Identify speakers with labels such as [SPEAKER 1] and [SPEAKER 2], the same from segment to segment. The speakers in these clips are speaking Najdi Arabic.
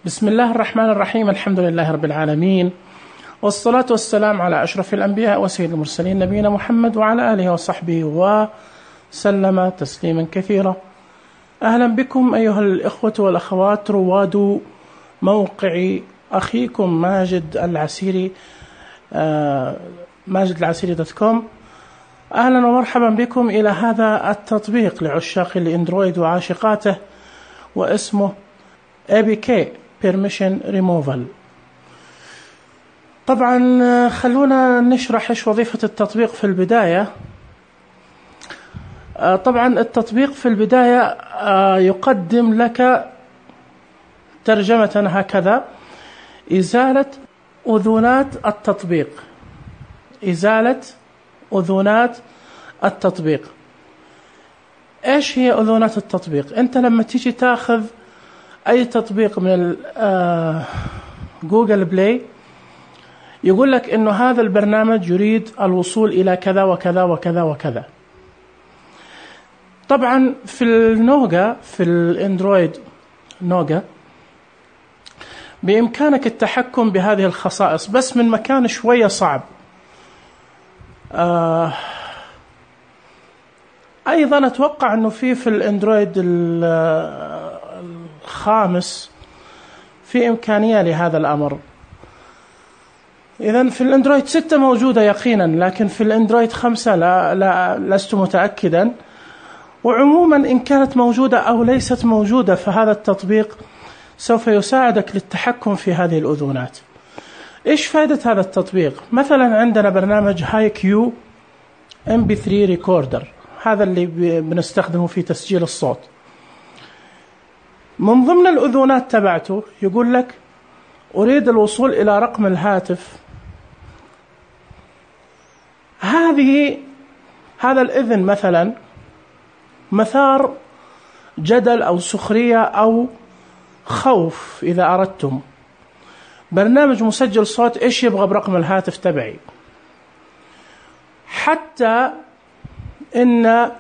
[SPEAKER 1] بسم الله الرحمن الرحيم. الحمد لله رب العالمين، والصلاة والسلام على أشرف الأنبياء وسيد المرسلين نبينا محمد وعلى آله وصحبه وسلم تسليما كثيرا. أهلا بكم أيها الإخوة والأخوات رواد موقع أخيكم ماجد العسيري ماجدالعسيري.com. أهلا ومرحبا بكم إلى هذا التطبيق لعشاق الإندرويد وعاشقاته، واسمه APK Permission Removal. طبعا خلونا نشرح إيش وظيفة التطبيق في البداية. طبعا التطبيق في البداية يقدم لك ترجمة هكذا: إزالة أذونات التطبيق. إزالة أذونات التطبيق. إيش هي أذونات التطبيق؟ أنت لما تيجي تاخذ أي تطبيق من جوجل بلاي يقول لك إنه هذا البرنامج يريد الوصول إلى كذا وكذا وكذا وكذا. طبعا في النوجا، في الإندرويد نوجا، بإمكانك التحكم بهذه الخصائص بس من مكان شوية صعب. أيضا أتوقع أنه في الإندرويد الخامس في إمكانية لهذا الأمر. إذن في الإندرويد 6 موجودة يقينا، لكن في الإندرويد 5 لا لست متأكدا. وعموما إن كانت موجودة أو ليست موجودة فهذا التطبيق سوف يساعدك للتحكم في هذه الأذونات. إيش فائدة هذا التطبيق؟ مثلا عندنا برنامج هاي كيو MP3 ريكوردر، هذا اللي بنستخدمه في تسجيل الصوت. من ضمن الأذونات تبعته يقول لك أريد الوصول إلى رقم الهاتف. هذا الإذن مثلا مثار جدل أو سخرية أو خوف. إذا أردتم برنامج مسجل صوت إيش يبغى برقم الهاتف تبعي؟ حتى إن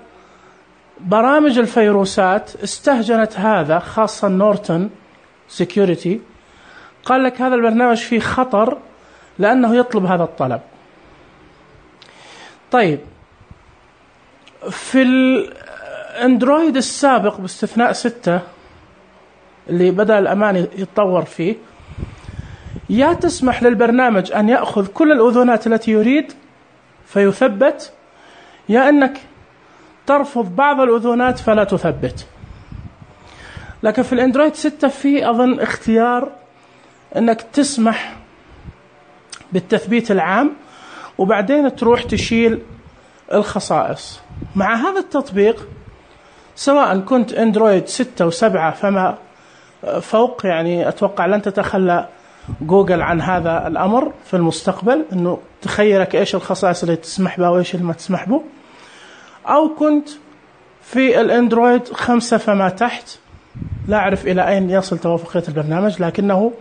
[SPEAKER 1] برامج الفيروسات استهجنت هذا، خاصة نورتون سيكيورتي، قال لك هذا البرنامج فيه خطر لأنه يطلب هذا الطلب. طيب في الأندرويد السابق باستثناء 6 اللي بدأ الأمان يتطور فيه، يا تسمح للبرنامج أن يأخذ كل الأذونات التي يريد فيثبت، يا أنك ترفض بعض الأذونات فلا تثبت. لكن في الأندرويد 6 في أظن اختيار أنك تسمح بالتثبيت العام وبعدين تروح تشيل الخصائص. مع هذا التطبيق سواء كنت أندرويد 6 و7 فما فوق، يعني أتوقع لن تتخلى جوجل عن هذا الأمر في المستقبل، أنه تخيرك إيش الخصائص اللي تسمح بها وإيش اللي ما تسمح به. أو كنت في الأندرويد 5 فما تحت، لا أعرف إلى أين يصل توافقية البرنامج، لكنه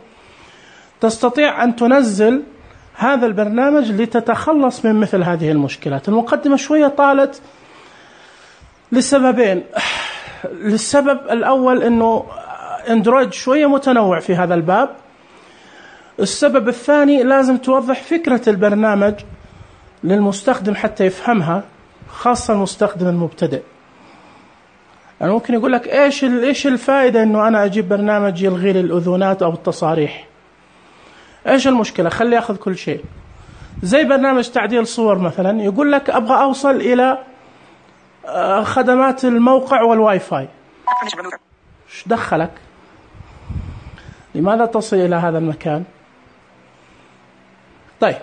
[SPEAKER 1] تستطيع أن تنزل هذا البرنامج لتتخلص من مثل هذه المشكلات. المقدمة شوية طالت لسببين. للسبب الأول أنه أندرويد شوية متنوع في هذا الباب. السبب الثاني لازم توضح فكرة البرنامج للمستخدم حتى يفهمها، خاصة المستخدم المبتدئ. يعني ممكن يقول لك إيش الفائدة إنه أنا أجيب برنامج يلغي لي الأذونات أو التصاريح؟ إيش المشكلة؟ خلي أخذ كل شيء. زي برنامج تعديل صور مثلا، يقول لك أبغى أوصل إلى خدمات الموقع والواي فاي. إيش دخلك؟ لماذا تصل إلى هذا المكان؟ طيب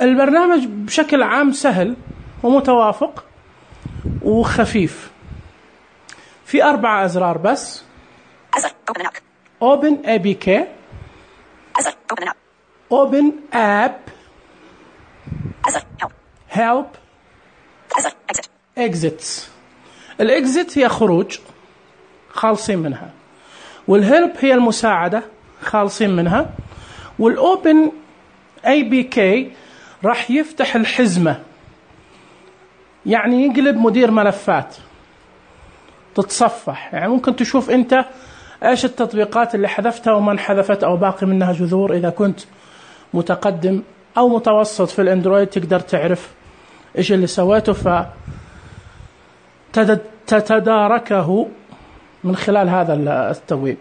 [SPEAKER 1] البرنامج بشكل عام سهل ومتوافق وخفيف. في 4 أزرار بس: Open APK، Open App، Help، Exits. الإكزيت هي خروج، خالصين منها. والهيلب هي المساعدة، خالصين منها. والأوبن APK راح يفتح الحزمة، يعني يقلب مدير ملفات، تتصفح. يعني ممكن تشوف أنت إيش التطبيقات اللي حذفتها وما انحذفت أو باقي منها جذور. إذا كنت متقدم أو متوسط في الأندرويد تقدر تعرف إيش اللي سويته فتتداركه من خلال هذا التبويب.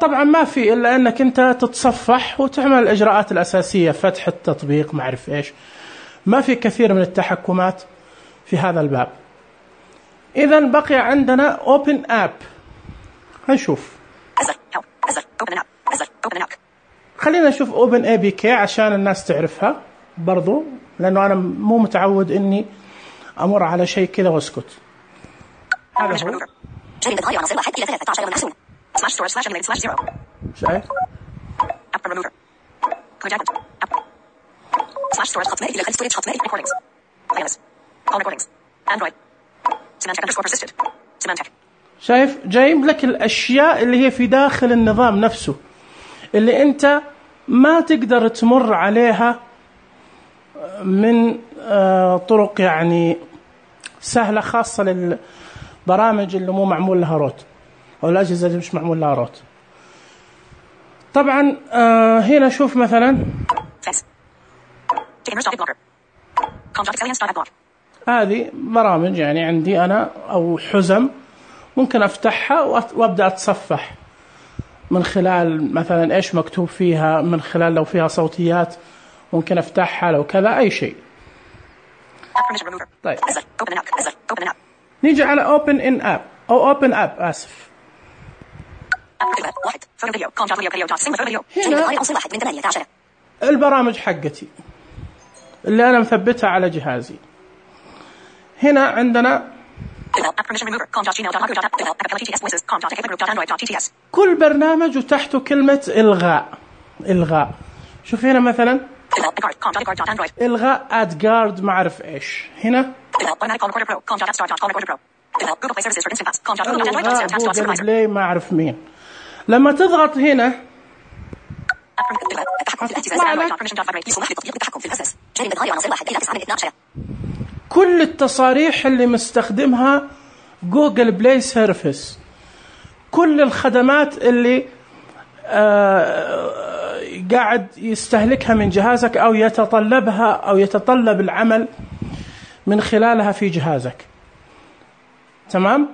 [SPEAKER 1] طبعا ما في إلا أنك أنت تتصفح وتعمل الإجراءات الأساسية، فتح التطبيق، ما أعرف إيش. ما في كثير من التحكمات في هذا الباب. إذا بقي عندنا Open App. هنشوف. خلينا نشوف Open APK عشان الناس تعرفها برضو، لأنه أنا مو متعود إني أمر على شيء كذا واسكت. هذا هو. شايف؟ شايف؟ جايب لك الأشياء اللي هي في داخل النظام نفسه، اللي أنت ما تقدر تمر عليها من طرق يعني سهلة، خاصة للبرامج اللي مو معمول لها روت أو الأجهزة اللي مش معمول لها روت. طبعا هنا شوف مثلا هذه برامج يعني عندي أنا أو حزم ممكن أفتحها وأبدأ أتصفح من خلال مثلا إيش مكتوب فيها، من خلال لو فيها صوتيات ممكن أفتحها، لو كذا أي شيء. طيب نيجي على Open in App أو Open App آسف. هنا البرامج حقتي اللي أنا مثبتها على جهازي. هنا عندنا كل برنامج وتحته كلمة إلغاء. شوف هنا مثلا إلغاء أدجارد ما أعرف إيش. هنا جوجل بلاي ما أعرف مين. لما تضغط هنا كل التصاريح اللي مستخدمها جوجل بلاي سيرفيس، كل الخدمات اللي قاعد يستهلكها من جهازك أو يتطلبها أو يتطلب العمل من خلالها في جهازك. تمام؟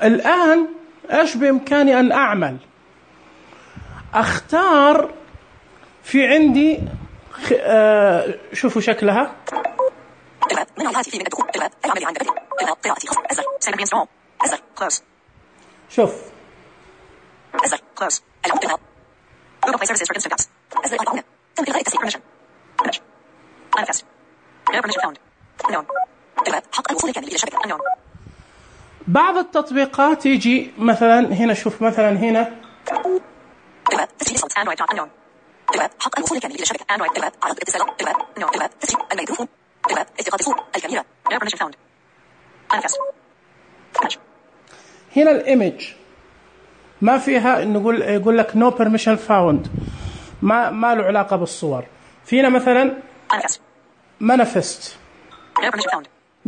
[SPEAKER 1] الآن إيش بإمكاني أن أعمل؟ أختار في عندي شوفوا شكلها. شوف بعض التطبيقات يجي مثلا هنا، شوف مثلا هنا حق الوصول كامل إلى شبكة أندرويد عرض اتصال الميكروفون التقاط الكاميرا هنا الإيمج ما فيها إنه يقول لك no permission found، ما له علاقة بالصور. فينا مثلا manifest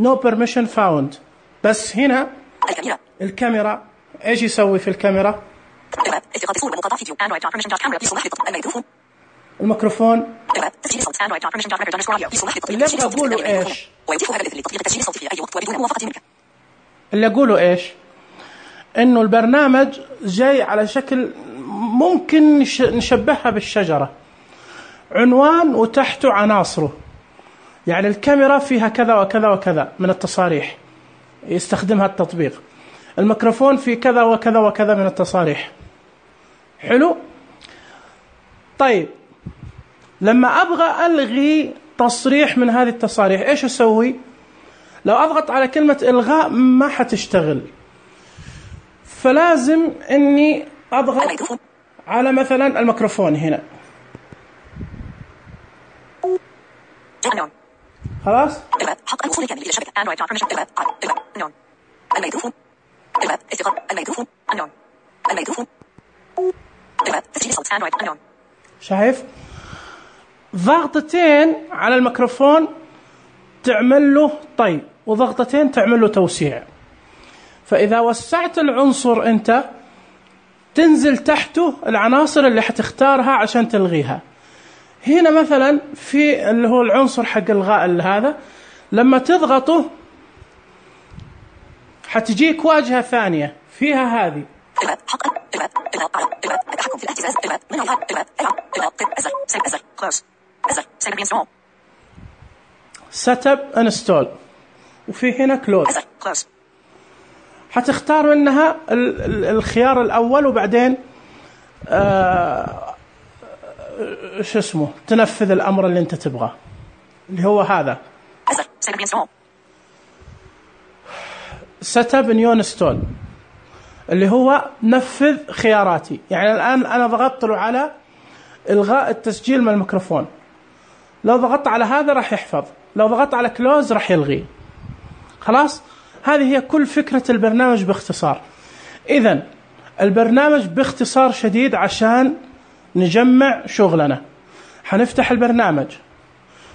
[SPEAKER 1] no permission found، بس هنا الكاميرا إيش يسوي في الكاميرا؟ الميكروفون اللي أقوله إيش؟ اللي أقوله إيش؟ إنه البرنامج جاي على شكل ممكن نشبهها بالشجرة، عنوان وتحته عناصره. يعني الكاميرا فيها كذا وكذا وكذا من التصاريح يستخدمها التطبيق، الميكروفون في كذا وكذا وكذا من التصاريح. حلو؟ طيب لما أبغى ألغي تصريح من هذه التصاريح إيش أسوي؟ لو أضغط على كلمة إلغاء ما حتشتغل، فلازم إني أضغط على مثلا الميكروفون هنا. خلاص؟ حق الوصول كامل إلى شبكة أندرويد الميكروفون الميكروفون الميكروفون شايف؟ ضغطتين على الميكروفون تعمل له طي، وضغطتين تعمل له توسيع. فإذا وسعت العنصر أنت تنزل تحته العناصر اللي حتختارها عشان تلغيها. هنا مثلا في اللي هو العنصر حق الغاء هذا، لما تضغطه حتجيك واجهة ثانية فيها هذه setup install، وفي هنا close. حتختار منها الخيار الأول، وبعدين شو اسمه تنفذ الأمر اللي أنت تبغاه اللي هو هذا setup new install، اللي هو نفذ خياراتي. يعني الآن أنا ضغطت له على إلغاء التسجيل من الميكروفون، لو ضغطت على هذا راح يحفظ، لو ضغطت على close راح يلغي. خلاص، هذه هي كل فكرة البرنامج باختصار. إذن البرنامج باختصار شديد عشان نجمع شغلنا، حنفتح البرنامج،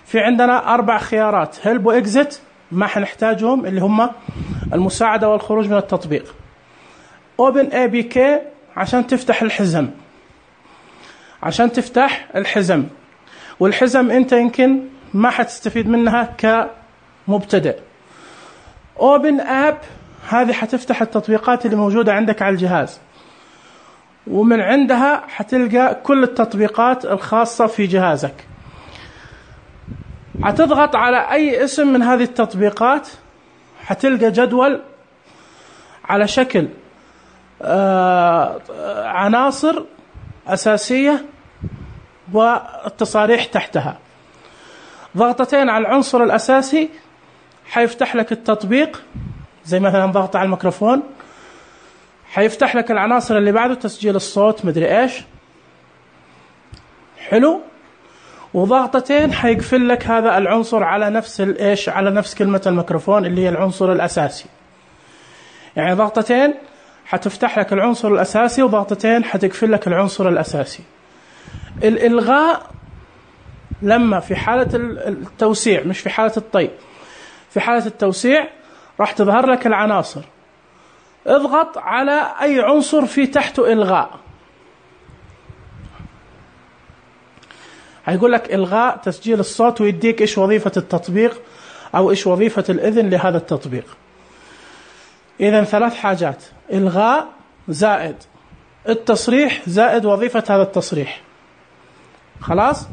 [SPEAKER 1] في عندنا 4 خيارات help و exit ما حنحتاجهم اللي هم المساعدة والخروج من التطبيق. open APK عشان تفتح الحزم، والحزم انت يمكن ما حتستفيد منها كمبتدئ. open app هذه حتفتح التطبيقات اللي موجودة عندك على الجهاز، ومن عندها حتلقى كل التطبيقات الخاصة في جهازك. حتضغط على أي اسم من هذه التطبيقات حتلقى جدول على شكل عناصر أساسية والتصاريح تحتها. ضغطتين على العنصر الأساسي حيفتح لك التطبيق، زي مثلا ضغط على الميكروفون حيفتح لك العناصر اللي بعده، تسجيل الصوت مدري إيش، حلو. وضغطتين حيقفل لك هذا العنصر على نفس الإيش، على نفس كلمة الميكروفون اللي هي العنصر الأساسي. يعني ضغطتين حتفتح لك العنصر الأساسي، وضغطتين حتقفل لك العنصر الأساسي. الإلغاء لما في حالة التوسيع، مش في حالة الطي، في حالة التوسيع راح تظهر لك العناصر، اضغط على أي عنصر في تحته إلغاء، هيقول لك إلغاء تسجيل الصوت، ويديك إيش وظيفة التطبيق أو إيش وظيفة الإذن لهذا التطبيق. إذن 3 حاجات: إلغاء زائد التصريح زائد وظيفة هذا التصريح. خلاص،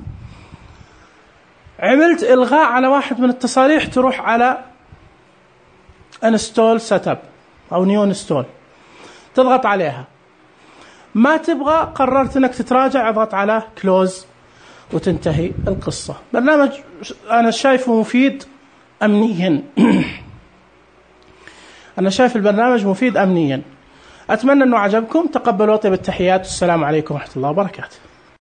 [SPEAKER 1] عملت إلغاء على واحد من التصاريح تروح على Install Setup أو New Install، تضغط عليها. ما تبغى، قررت أنك تتراجع، اضغط على Close وتنتهي القصة. برنامج أنا شايفه مفيد أمنيا أنا شايف البرنامج مفيد أمنيا. أتمنى أنه عجبكم. تقبلوا طيب التحيات، والسلام عليكم ورحمة الله وبركاته.